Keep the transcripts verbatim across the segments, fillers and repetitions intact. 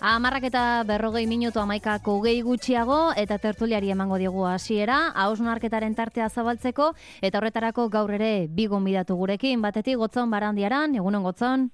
Hamarrak eta berrogei minutu hamaikako hogei gutxiago eta tertuliari emango diogu hasiera, hausnarketaren tartea zabaltzeko eta horretarako gaur ere bi gonbidatu gurekin, batetik Gotzon Barandiaran, egunon Gotzon.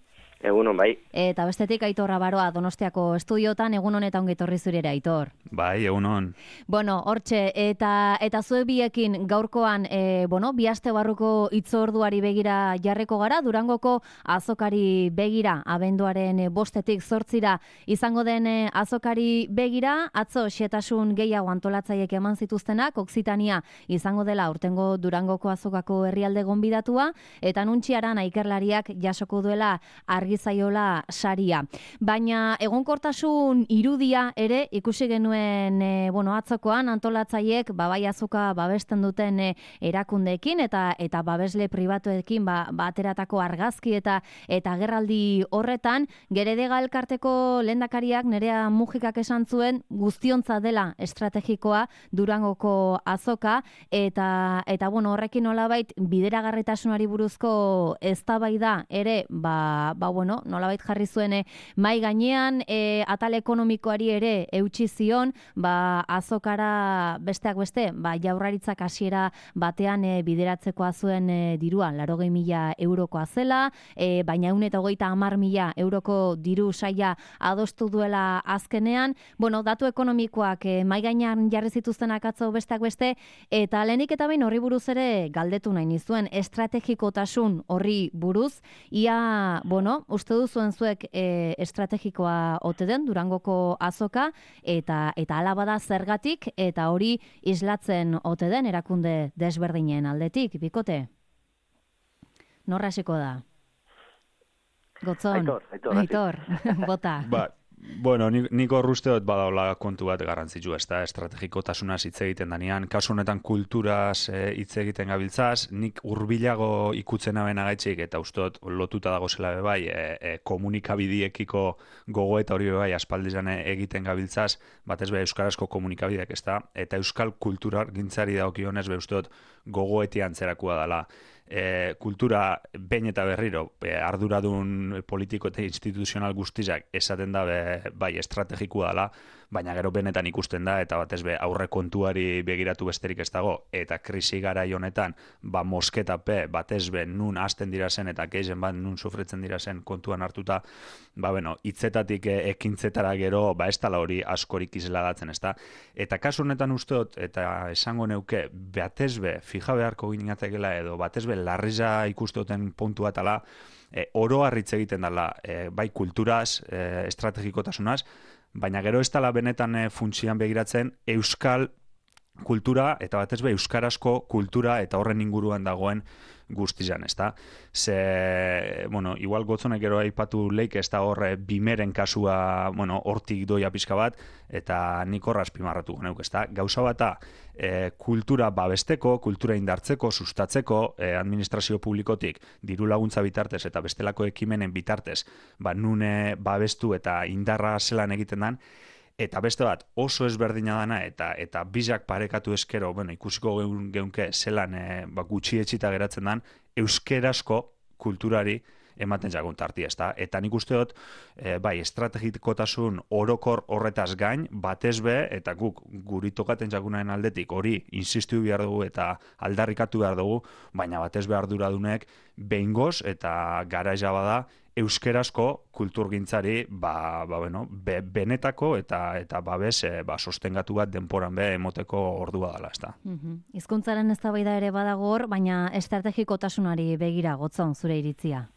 Egunon, bai. Eta bestetik Aitor Abaroa Donostiako estudiotan, egun honetan ongi etorri zure Aitor. Bai, egunon. Bueno, hortxe, eta eta zuek biekin gaurkoan, e, bueno, bi aste barruko hitzorduari begira jarreko gara, Durangoko azokari begira, abenduaren bostetik zortzira izango den azokari begira, atzo xetasun gehiago antolatzaiek eman zituztenak, Oksitania izango dela urtengo Durangoko azokako herrialde gonbidatua, eta nuntxiaran ikerlariak jasoko duela argi zaiola saria. Baina egonkortasun irudia ere ikusi genuen e, bueno, atzokoan antolatzaiek ba, bai azoka babesten duten e, erakundeekin eta eta babesle pribatuekin ba, bateratako argazki eta eta agerraldi horretan Geredega elkarteko lehendakariak Nerea Mujikak esan zuen guztiontza dela estrategikoa Durangoko azoka eta eta bueno, horrekin nolabait bideragarritasunari buruzko eztabaida ere ba, ba bueno, nolabait jarri zuen e, mai gainean e, atal ekonomikoari ere eutsi zion, ba azokara besteak beste, ba Jaurlaritzak hasiera batean e, bideratzekoa zuen e, dirua laurogei mila eurokoa zela, e, baina ehun eta hogeita hamar mila euroko diru saila adostu duela azkenean. Bueno, datu ekonomikoak e, mai gainean jarri zituztenak atzo besteak beste, eta lehenik eta behin horri buruz ere galdetu nahi nizuen estrategikotasun horri buruz, ia, bueno, uste duzuen zuek e, estrategikoa ote den Durangoko azoka eta eta hala bada zergatik eta hori islatzen ote den erakunde desberdinen aldetik, bikote? Norra hasiko da? Gotzon. Aitor, Aitor. Aitor, bota. Ba, bueno, nik, nik horrusteot badaula kontu bat garrantzitsu, ez da, estrategikotasunaz hitz egiten danean, kasu honetan kulturaz e, hitz egiten gabiltzaz, nik hurbilago ikutzen abena gaitxik, eta usteot lotuta dago zela bai, e, e, komunikabidiekiko gogo eta hori bai aspaldizan egiten gabiltzaz, batez be euskarazko komunikabideak, ez da, eta euskal kulturar gintzari daukionez be usteot gogoeti antzerakua dela. E, kultura behin eta berriro e, arduradun politiko eta instituzional guztizak esaten da be, bai estrategikoa dela, baina gero benetan ikusten da eta batez be aurre kontuari begiratu besterik ez dago eta krisi garai honetan ba mosketape batez be nun hasten dira zen eta gehien bat nun sufritzen dira zen kontuan hartuta, ba bueno, hitzetatik e, ekintzetara gero ba ez dela hori askorik isladatzen, ezta? Eta kasu honetan usteot eta esango neuke batez be fija beharko ginatekela edo batez be larriza ikusteoten puntu bat ala, e, oro harritz egiten dela, e, bai kulturaz, e, estrategikotasunaz, baina gero ez dela benetan e, funtzioan begiratzen euskal kultura eta batez be euskarazko kultura eta horren inguruan dagoen guztizan, ez da? Ze, bueno, igual Gotzonek gero aipatu leik ez da horre bimeren kasua, bueno, hortik doia pixka bat, eta nik horra azpimarratu geneuk, ez da? Gauza bata, e, kultura babesteko, kultura indartzeko, sustatzeko, e, administrazio publikotik, diru laguntza bitartez eta bestelako ekimenen bitartez, ba, nune babestu eta indarra zelan egiten dan, eta beste bat oso ezberdina dana eta eta bizak parekatu eskero, bueno, ikusiko geun, geunke zelan e, ba, gutxi etxita geratzen dan, euskerazko kulturari ematen jagun tarti, ez da? Eta nik uste dut, e, bai, estrategikotasun orokor horretaz gain, batez be, eta guk guri tokaten jagunaren aldetik hori insistu behar dugu eta aldarrikatu behar dugu, baina batez be arduradunek behingoz eta garaiza bada euskerazko kulturgintzari ba, ba, bueno, be, benetako eta eta babes e, ba, sostengatu bat denporan be emoteko ordua dela, ezta. Mhm. Hizkuntzaren eztabaida ere badago hor, baina estrategikotasunari begira Gotzon zure iritzia.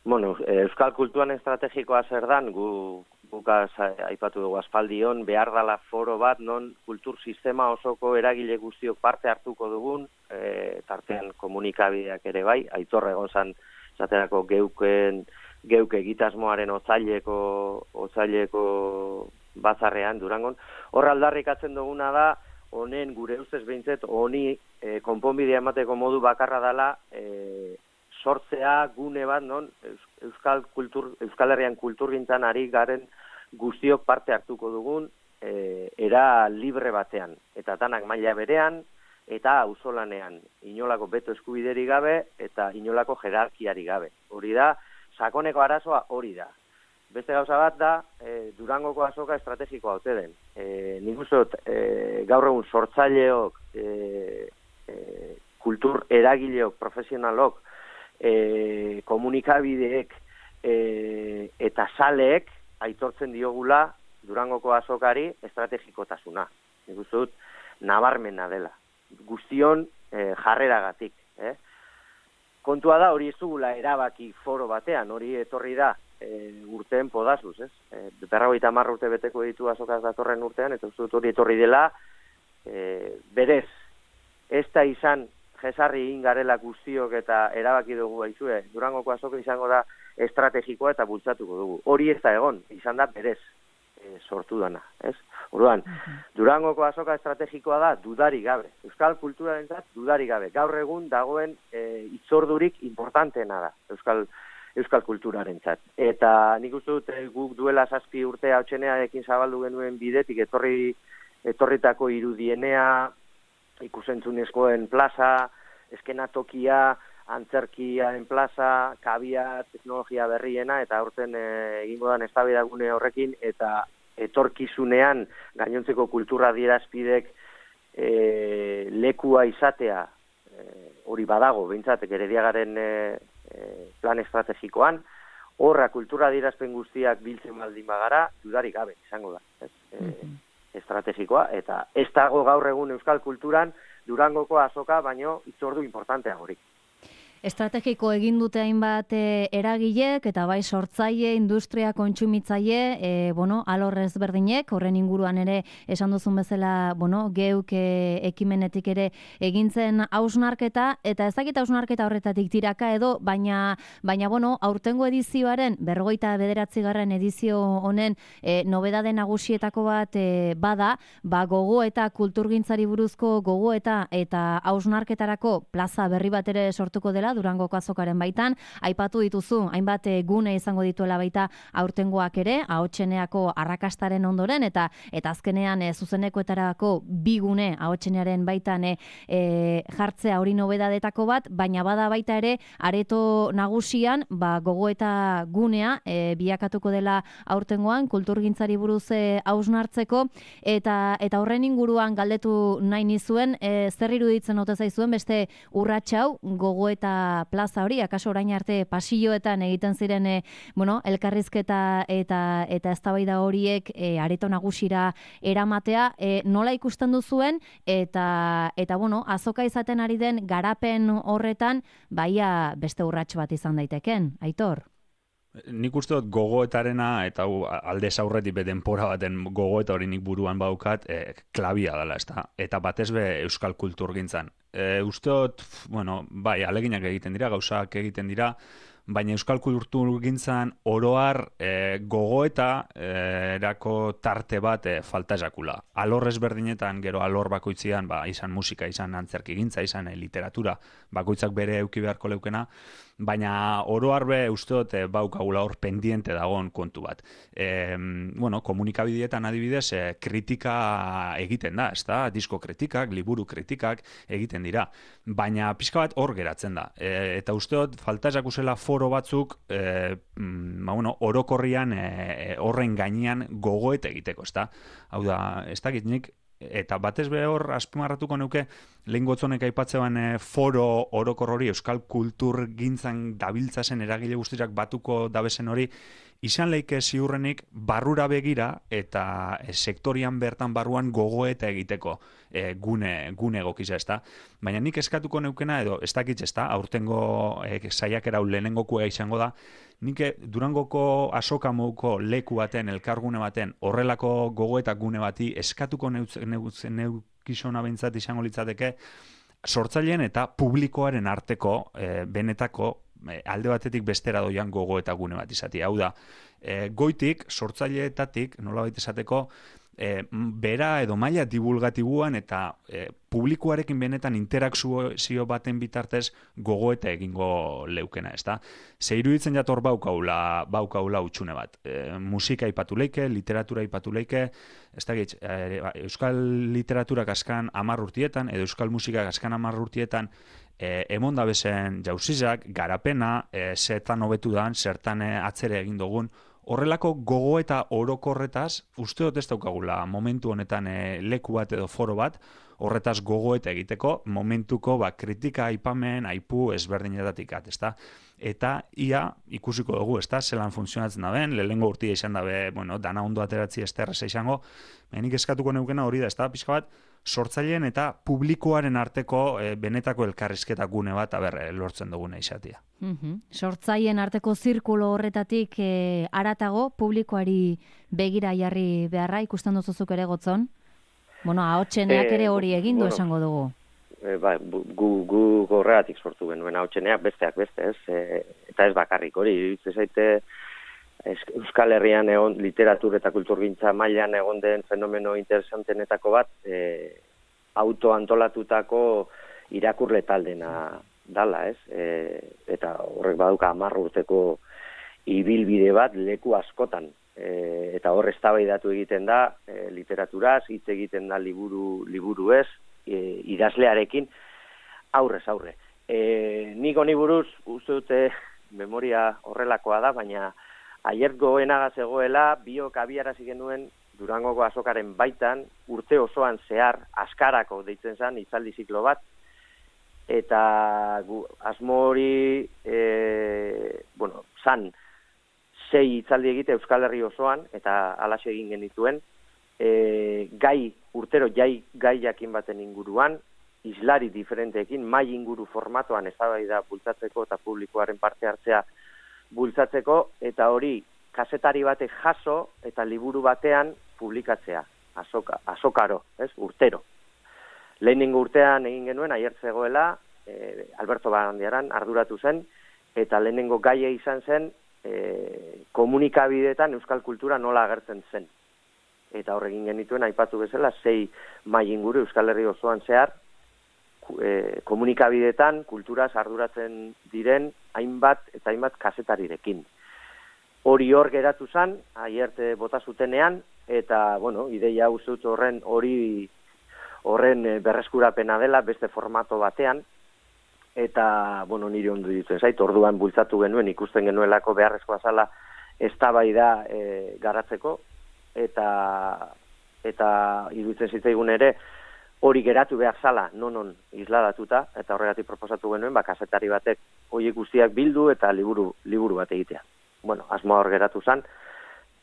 Bueno, euskal kulturan estrategikoa zer dan, gu gukaz aipatu dugu aspaldion, behar dala foro bat, non kultur sistema osoko eragile guztiok parte hartuko dugun, e, tartean komunikabideak ere bai, Aitor egon zan esaterako geuken, geuke egitasmoaren otzaileko, otzaileko bazarrean Durangon. Hor aldarrikatzen duguna da, honen gure ustez behintzet, honi e, konponbidea emateko modu bakarra dela, e, sortzea gune bat, non, Euskal, kultur, Euskal Herrian kulturgintzan ari garen guztiok parte hartuko dugun, e, era libre batean. Eta tanak maila berean, eta auzolanean, inolako beto eskubideri gabe eta inolako jerarkiari gabe. Hori da, sakoneko arazoa hori da. beste gauza bat da, e, Durangoko azoka estrategikoa ote den. E, nik uste dut, e, gaur egun sortzaileok, e, e, kultur eragileok, profesionalok, e, komunikabideek e, eta saleek aitortzen diogula Durangoko azokari estrategikotasuna. Nik uste dut, nabarmena dela. Guztion e, jarreragatik. Eh? Kontua da, hori ez dugula erabaki foro batean, hori etorri da e, urteen podazuz, ez? E, berrogeita hamar urte beteko ditu azokaz datorren urtean, eta uste dut hori etorri dela, e, berez, ez da izan jesarri egin garela guztiok eta erabaki dugu baizue, Durangoko azoka izango da estrategikoa eta bultzatuko dugu. Hori ez da egon, izan da berez e, sortu dana, ez? Orduan, Durangoko azoka estrategikoa da dudarik gabe. Euskal kulturarentzat dudarik gabe. Gaur egun dagoen e, itzordurik importanteena da Euskal Euskal kulturarentzat. Eta nik uste dut guk duela zazpi urte hautsenearekin zabaldu genuen bidetik etorri etorritako irudienea, ikusentzunezkoen plaza, eskenatokia, antzerkiaren plaza, kabia, teknologia berriena, eta aurten e, egingo dan eztabaidagune horrekin, eta etorkizunean gainontzeko kultura adierazpidek e, lekua izatea e, hori badago, behintzat, Gerediagaren e, e, plan estrategikoan, horra kultura adierazpen guztiak biltzen baldin bagara, dudarik gabe, izango da, ez? E, estrategikoa, eta ez dago gaur egun euskal kulturan Durangoko azoka, baino itzordu importantea horik. Estrategiko egin dute hainbat e, eragilek eta bai sortzaile, industria, kontsumitzaile, e, bueno, alor ezberdinek, horren inguruan ere esan duzun bezala, bueno, geuk e, ekimenetik ere egintzen hausnarketa, eta ez dakit hausnarketa horretatik tiraka edo, baina, baina bueno, aurtengo edizioaren, berrogeita bederatzigarren edizio honen e, nobedade nagusietako bat e, bada, ba gogo eta kulturgintzari buruzko gogo eta eta hausnarketarako plaza berri bat ere sortuko dela, Durangoko azokaren baitan, aipatu dituzu, hainbat gune izango dituela baita aurtengoak ere, ahotseneako arrakastaren ondoren, eta eta azkenean e, zuzenekoetarako bi gune ahotsenearen baitan e, e, jartzea hori nobedadetako bat, baina bada baita ere, areto nagusian, ba, gogo eta gunea e, biakatuko dela aurtengoan, kulturgintzari buruz e, hausnartzeko, eta eta horren inguruan galdetu nahi nizuen, e, zer iruditzen ote zaizuen beste urratxau, gogo eta plaza hori, akaso orain arte pasilloetan egiten ziren e, bueno, elkarrizketa eta eta eztabaida horiek e, areto nagusira eramatea, e, nola ikusten duzuen eta eta bueno, azoka izaten ari den garapen horretan baia beste urrats bat izan daiteken, Aitor? Nik uste dut gogoetarena, eta hau aldez aurretik be denpora baten gogoeta hori nik buruan baukat, e, klabia dela, ezta? Eta batez be euskal kulturgintzan. E, uste dut, bueno, bai, aleginak egiten dira, gauzak egiten dira, baina euskal kulturgintzan oroar e, gogoeta e, erako tarte bat e, falta esakula. Alor ezberdinetan, gero alor bakoitzian, ba, izan musika, izan antzerkigintza, izan e, literatura, bakoitzak bere euki beharko leukena, baina oroar be uste dut e, baukagula hor pendiente dagoen kontu bat. E, bueno, komunikabidietan adibidez e, kritika egiten da, ezta? Disko kritikak, liburu kritikak egiten dira, baina pixka bat hor geratzen da. E, eta uste dut falta esakusela foro batzuk e, ba, bueno, orokorrian e, horren gainean gogoet egiteko, ezta? Hau da, ez dakit nik, eta batez be hor azpimarratuko neuke lehen gotzonek aipatzean e, foro orokor hori euskal kulturgintzan dabiltzazen eragile guztiak batuko dabesen hori, izan leike ziurrenik barrura begira eta e, sektorian bertan barruan gogoeta egiteko e, gune, gune egokiza, ezta? Baina nik eskatuko neukena edo ez dakit, ezta? Aurtengo e, saiakera hau lehenengokua izango da, nik Durangoko azoka moduko leku baten, elkargune baten, horrelako gogoeta gune bati eskatuko neukizona behintzat izango litzateke, sortzaileen eta publikoaren arteko e, benetako e, alde batetik bestera doian gogoeta gune bat izati. Hau da, e, goitik, sortzaileetatik, nolabait esateko, E, bera edo maila divulgatibuan eta e, publikoarekin benetan interakzio baten bitartez gogoeta egingo leukena, ezta? Ze iruditzen jator baukaula, baukaula utxune bat. E, musika ipatu leike, literatura ipatu leike, ez da gitz, e, euskal literaturak askan hamar urtietan, edo euskal musikak askan hamar urtietan, E, emon da bezen jauzizak, garapena, e, zertan hobetu dan, zertan e, atzere egin dugun, horrelako gogo eta orokorretaz, uste dut ez daukagula momentu honetan e, leku bat edo foro bat, horretaz gogoeta egiteko, momentuko ba, kritika, aipamen, aipu ezberdinetatik at, ezta? Eta ia ikusiko dugu, ezta? Zelan funtzionatzen da ben, lehengo urtia izan dabe, bueno, dana ondo ateratzi ez terreza izango, benik eskatuko neukena hori da, ezta? Pixka bat, sortzaileen eta publikoaren arteko e, benetako elkarrizketa gune bat, aber, e, lortzen duguna izatea. Mm-hmm. Sortzaileen arteko zirkulo horretatik e, aratago, publikoari begira jarri beharra, ikusten duzuzuk ere Gotzon? Bueno, ahotseneak ere hori egin du bueno, esango dugu. E, ba, gu, gu gorreatik sortu genuen ahotseneak besteak beste, ez? E, eta ez bakarrik hori, ez zaite Euskal Herrian egon literatur eta kulturgintza mailan egon den fenomeno interesantenetako bat, e, autoantolatutako irakurle taldena dala, ez? E, eta horrek baduka hamar urteko ibilbide bat leku askotan. E, eta hor eztabaidatu egiten da e, literaturaz, hitz egiten da liburu liburu ez, e, idazlearekin aurrez aurre. E, nik honi buruz uste dute memoria horrelakoa da, baina aier goenaga zegoela biok abiarazi genuen Durangoko azokaren baitan urte osoan zehar askarako deitzen zen hitzaldi ziklo bat, eta gu, asmo hori e, bueno, zan sei hitzaldi egite Euskal Herri osoan, eta halaxe egin genituen, e, gai, urtero jai, gai jakin baten inguruan, islari diferenteekin, mai inguru formatoan eztabaida bultzatzeko eta publikoaren parte hartzea bultzatzeko, eta hori kazetari batek jaso eta liburu batean publikatzea, azoka, azokaro, ez, urtero. Lehenengo urtean egin genuen, aier zegoela, e, Alberto Barandiaran arduratu zen, eta lehenengo gaia izan zen, E, komunikabideetan euskal kultura nola agertzen zen. Eta horregin genituen, aipatu bezala, sei mai inguru Euskal Herri osoan zehar, e, komunikabideetan kulturaz arduratzen diren hainbat eta hainbat kazetarirekin. Hori hor geratu zen, aierte bota zutenean, eta, bueno, ideia uste dut horren hori horren berreskurapena dela beste formato batean, eta, bueno, nire ondo ditzen zait, orduan bultzatu genuen, ikusten genuelako beharrezkoa zala eztabaida e, garatzeko, eta eta iruditzen zitzaigun ere, hori geratu behar zala, non-non isladatuta, eta horregatik proposatu genuen, ba, kazetari batek horiek guztiak bildu eta liburu, liburu bat egitea. Bueno, asmoa hor geratu zen,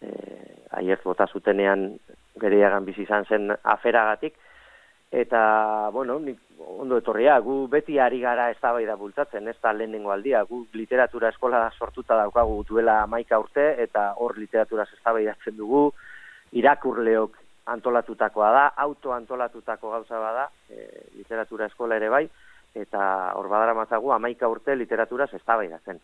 e, aiert bota zutenean gereiagan bizi izan zen aferagatik, eta, bueno, nik, ondo etorria, gu beti ari gara eztabaida bultzatzen, ez da lehenengo aldia, gu literatura eskola sortuta daukagu duela hamaika urte, eta hor literaturaz eztabaidatzen dugu, irakurleok antolatutakoa da, autoantolatutako gauza bada, e, literatura eskola ere bai, eta hor badaramatzagu hamaika urte literaturaz eztabaidatzen.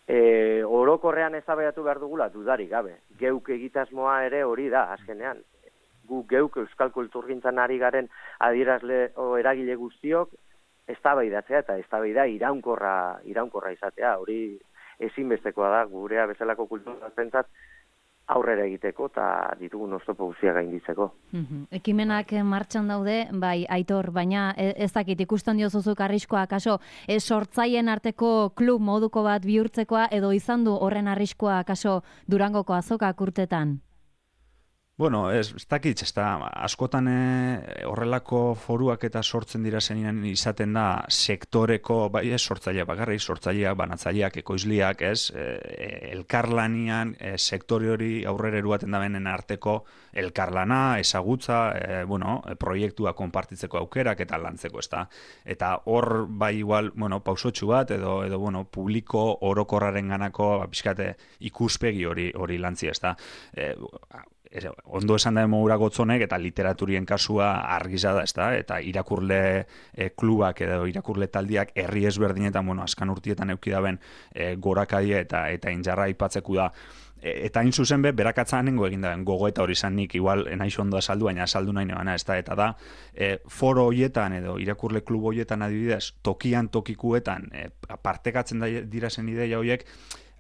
E, orokorrean eztabaidatu behar dugula, dudarik gabe, geuk egitasmoa ere hori da, azkenean, gu geuk euskal kulturgintzan ari garen adierazle o eragile guztiok eztabaidatzea eta eztabaida iraunkorra iraunkorra izatea, hori ezinbestekoa da gurea bezalako kulturgintzat aurrera egiteko eta ditugun oztopo guztiak gainditzeko. Mm-hmm. Ekimenak martxan daude, bai, Aitor, baina ez dakit ikusten diozuzuk arriskoa, kaso, ez sortzaien arteko klub moduko bat bihurtzekoa edo izan du horren arriskoa, kaso, Durangoko azokak urtetan? Bueno, ez, ez dakitz, ez da, askotan e, horrelako foruak eta sortzen dira zenien izaten da sektoreko, bai ez sortzaileak bakarrik, sortzaileak, banatzaileak, ekoizliak, ez, e, elkarlanian, e, sektore hori aurrera eruaten da benen arteko elkarlana, ezagutza, e, bueno, e, proiektua konpartitzeko aukerak eta lantzeko, ez da. Eta hor, bai igual, bueno, pausotxu bat, edo, edo bueno, publiko orokorraren ganako, pixkate, ikuspegi hori, hori lantzi, ez da. E, ondo esan da emogura Gotzonek eta literaturien kasua argiza da, ezta? Eta irakurle e, klubak edo irakurle taldiak herri ezberdinetan, bueno, azkan urtietan eukidaben e, gorakadia eta eta injarra aipatzeku da. E, eta hain zuzen be, berakatzanengo egin da, gogoeta hori zan nik, igual, nahiz ondo azaldu, baina azaldu nahi nebana, ez da, eta da, e, foro hoietan edo irakurle klub hoietan adibidez, tokian tokikuetan, e, partekatzen da, dira zen ideia horiek,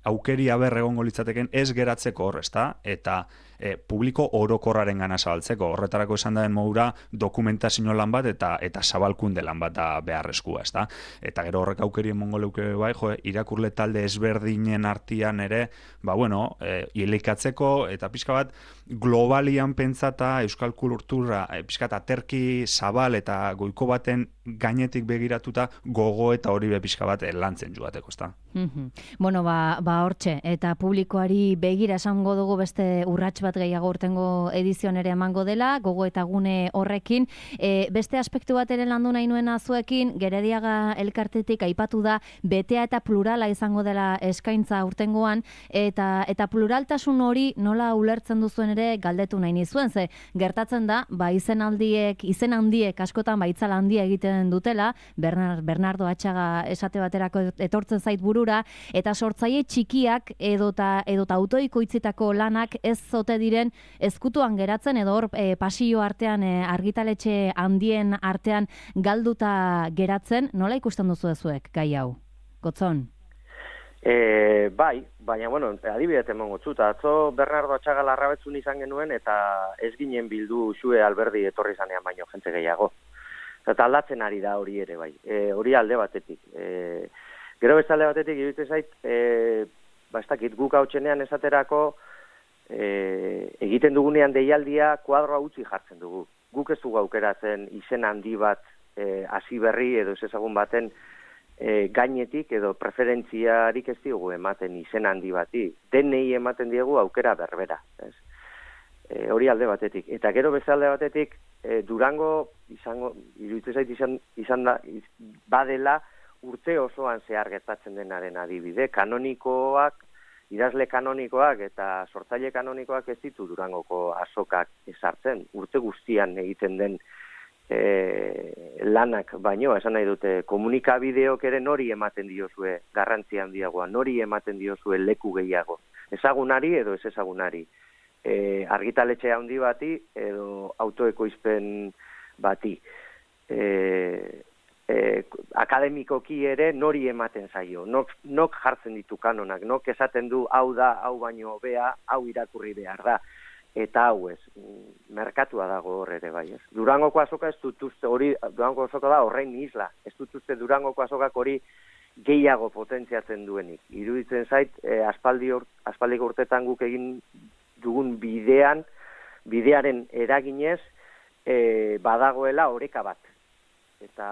aukeri aber egongo litzateken ez geratzeko hor, ezta? Eta e, publiko orokorraren gana zabaltzeko. Horretarako esan daren modura dokumentazio lan bat eta eta zabalkunde lan bat da beharrezkoa, ezta? Eta gero horrek aukeri emongo leuke bai, jo, irakurle talde ezberdinen artean ere, ba bueno, e, ilikatzeko eta pixka bat globalian pentsata euskal kultura e, pixka bat aterki zabal eta goiko baten gainetik begiratuta gogo eta hori be pixka bat lantzen joateko, ezta? Mm-hmm. Bueno, ba, ba hortxe, eta publikoari begira esango dugu beste urrats bat gehiago urtengo edizioan ere emango dela, gogo eta gune horrekin. E, beste aspektu bat ere landu nahi nuena zuekin, Gerediaga elkartetik aipatu da betea eta plurala izango dela eskaintza urtengoan, eta eta pluraltasun hori nola ulertzen duzuen ere galdetu nahi nizuen, ze gertatzen da, ba izen aldiek, izen handiek askotan baitzala handia egiten dutela, Bernard, Bernardo Atxaga esate baterako etortzen zait burura, eta sortzaile txikiak edota edota autoikoitzitako lanak ez zote diren ezkutuan geratzen edo hor e, pasio artean e, argitaletxe handien artean galduta geratzen. Nola ikusten duzu ezuek gai hau? Gotzon? E, bai, baina, bueno, adibidez emongo txuta. Atzo Bernardo Atxaga Larrabetzun izan genuen eta ez ginen bildu Xue Alberdi etorri zanean baino jente gehiago. Eta aldatzen ari da hori ere bai. E, hori alde batetik. E, gero beste alde batetik iruditzen zait, e, ba, ez dakit, guk hautsenean esaterako e, egiten dugunean deialdia kuadroa utzi jartzen dugu. Guk ez dugu aukeratzen izen handi bat e, hasi berri edo ez ezagun baten e, gainetik edo preferentziarik ez diogu ematen izen handi bati. Denei ematen diegu aukera berbera. Ez? E, hori alde batetik. Eta gero beste alde batetik, e, Durango izango, iruditzen zait izan, izan da, iz, badela urte osoan zehar gertatzen denaren adibide. Kanonikoak, idazle kanonikoak eta sortzaile kanonikoak ez ditu Durangoko azokak ezartzen. Urte guztian egiten den e, lanak baino, esan nahi dute, komunikabideok ere nori ematen diozue garrantzi handiagoa, nori ematen diozue leku gehiago. Ezagunari edo ez ezagunari. E, argitaletxe handi bati edo autoekoizpen bati. E, e, akademikoki ere nori ematen zaio. Nok, nok jartzen ditu kanonak, nok esaten du hau da, hau baino hobea, hau irakurri behar da. Eta hau ez, merkatua dago hor ere bai ez. Durangoko azoka ez dutuzte, hori, Durangoko azoka da horrein isla, ez dutuzte Durangoko azokak hori gehiago potentziatzen duenik. Iruditzen zait, eh, aspaldi ur, aspaldiko urtetan guk egin dugun bidean, bidearen eraginez, e, badagoela oreka bat. Eta,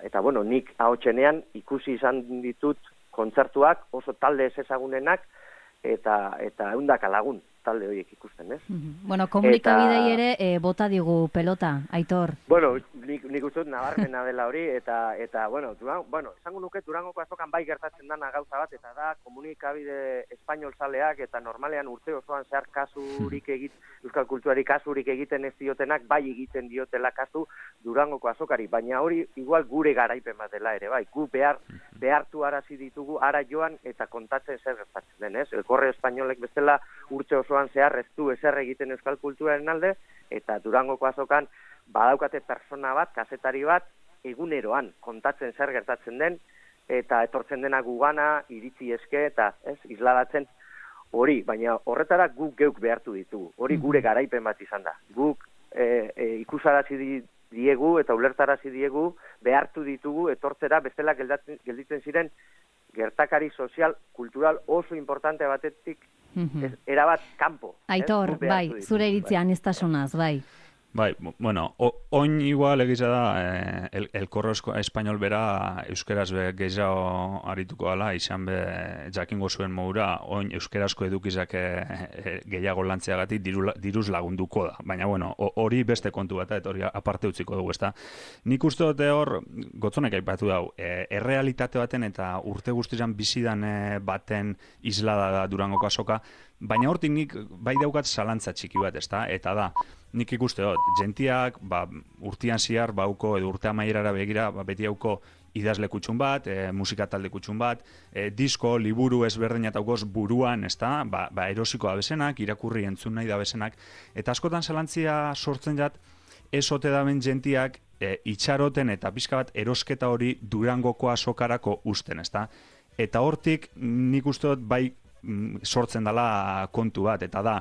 eta bueno, nik ahotsenean ikusi izan ditut kontzertuak oso talde ez ezagunenak, eta, eta ehundaka lagun talde horiek ikusten, ez? Mm-hmm. Bueno, komunikabidei ere e, bota digu pelota, Aitor. Bueno, nik, nik uste dut nabarmena dela hori, eta, eta bueno, Durango, bueno, esango nuke Durangoko azokan bai gertatzen dana gauza bat, eta da komunikabide espainol zaleak, eta normalean urte osoan zehar kasurik egit, euskal kulturari kasurik egiten ez diotenak, bai egiten diotela kasu Durangoko azokari, baina hori igual gure garaipen bat dela ere, bai, gu behar, behartu arazi ditugu, ara joan eta kontatzen zer gertatzen den, ez? Elkorre espainolek bestela urte oso zehar ez du ezer egiten euskal kulturaren alde, eta Durangoko azokan badaukate persona bat, kazetari bat, eguneroan kontatzen zer gertatzen den, eta etortzen dena gugana, iritzi eske, eta ez, isladatzen hori, baina horretara guk geuk behartu ditugu, hori gure garaipen bat izan da. Guk e, e, ikusarazi diegu eta ulertarazi diegu behartu ditugu etortzera bestela geldatzen, gelditzen ziren gertakari sozial, kultural oso importante batetik ez, erabat kanpo. Aitor, bai, zure iritzian ez tasunaz, bai. Bai, bueno, o, oin igual egiza da, eh, el, el korro espainol bera euskeraz be gehiago arituko ala, izan be jakingo zuen modura, oin euskerazko edukizak eh, gehiago lantzeagatik diru, diruz lagunduko da. Baina, bueno, hori beste kontu bat, eta hori aparte utziko dugu, ezta. Nik uste dute hor, gotzonek aipatu dau, eh, errealitate baten eta urte guztizan bizidan eh, baten islada da Durangoko azoka, baina hortik nik bai daukat zalantza txiki bat, ezta, eta da, nik ikuste dut, jentiak ba, urtian ziar bauko edo urte amaierara begira ba, beti hauko idazle kutxun bat, e, musika talde kutxun bat, e, disko, liburu ezberdinat haukoz buruan, ezta, ba, ba erosiko abesenak, irakurri entzun nahi da abesenak, eta askotan zalantzia sortzen jat, ez ote daben jentiak e, itxaroten eta pixka bat erosketa hori Durangoko azokarako usten, ezta. eta hortik nik uste dut bai sortzen dela kontu bat, eta da,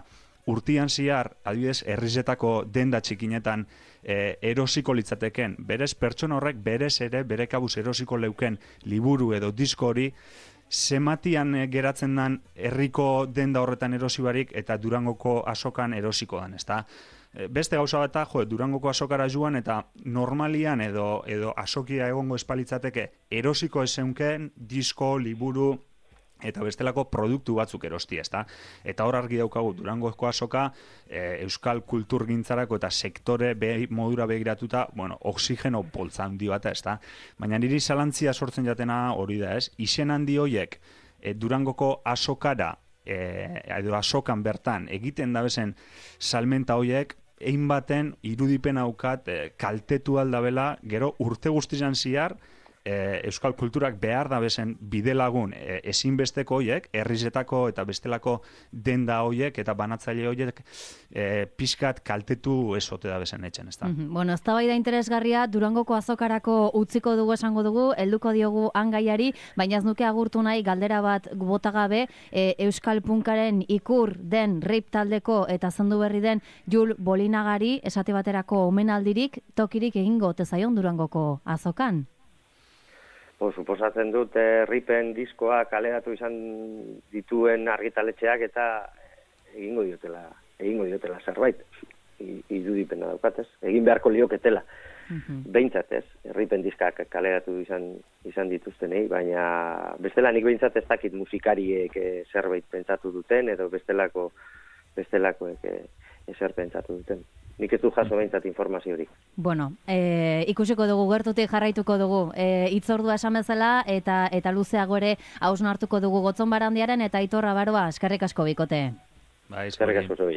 urtian ziar, adibidez, herrizetako denda txikinetan e, erosiko litzateken, berez pertsona horrek berez ere, bere kabuz erosiko leuken liburu edo disko hori, zematian geratzen dan herriko denda horretan erosi barik eta Durangoko azokan erosiko dan, ezta? Beste gauza bat da, jo, Durangoko azokara joan eta normalian edo edo azokia egongo espalitzateke erosiko ezeunken disko, liburu eta bestelako produktu batzuk erosti, ezta? Eta hor argi daukagu Durangoko azoka e, euskal kulturgintzarako eta sektore be, modura begiratuta, bueno, oxigeno poltza handi bat, ezta? Baina niri zalantzia sortzen jatena hori da, ez? Izen handi hoiek e, Durangoko azokara e, edo azokan bertan egiten dabezen salmenta hoiek egin baten irudipen haukat e, kaltetu aldabela, gero urte guztizan ziar, E, euskal kulturak behar da bezen bidelagun e, ezinbesteko hoiek, herrizetako eta bestelako denda hoiek eta banatzaile hoiek e, pixkat kaltetu esote da bezen etxen, ezta? Mm-hmm. Bueno, eztabaida interesgarria Durangoko azokarako utziko dugu esango dugu, helduko diogu angaiari, baina ez nuke agurtu nahi galdera bat botagabe, e, euskal punkaren ikur den rape taldeko eta zendu berri den Jul Bolinagari esate baterako omenaldirik tokirik egingo ote zaion Durangoko azokan? Po, suposatzen dut eh, ripen diskoa kaleratu izan dituen argitaletxeak eta egingo diotela, egingo diotela zerbait. I, irudipena daukatez, egin beharko lioketela. Mm-hmm. Behintzat ez, ripen diskak kaleratu izan izan dituztenei, baina bestela nik behintzat ez dakit musikariek eh, zerbait pentsatu duten edo bestelako bestelakoek eh, ezer pentsatu duten. Nik ez du jaso behintzat informaziorik. Bueno, e, ikusiko dugu, gertutik jarraituko dugu. E, itzordua esan bezala eta eta luzeago ere hausnartuko dugu Gotzon Barandiaren eta Aitor Abaroa, eskerrik asko bikote. Bai, eskerrik asko zubi.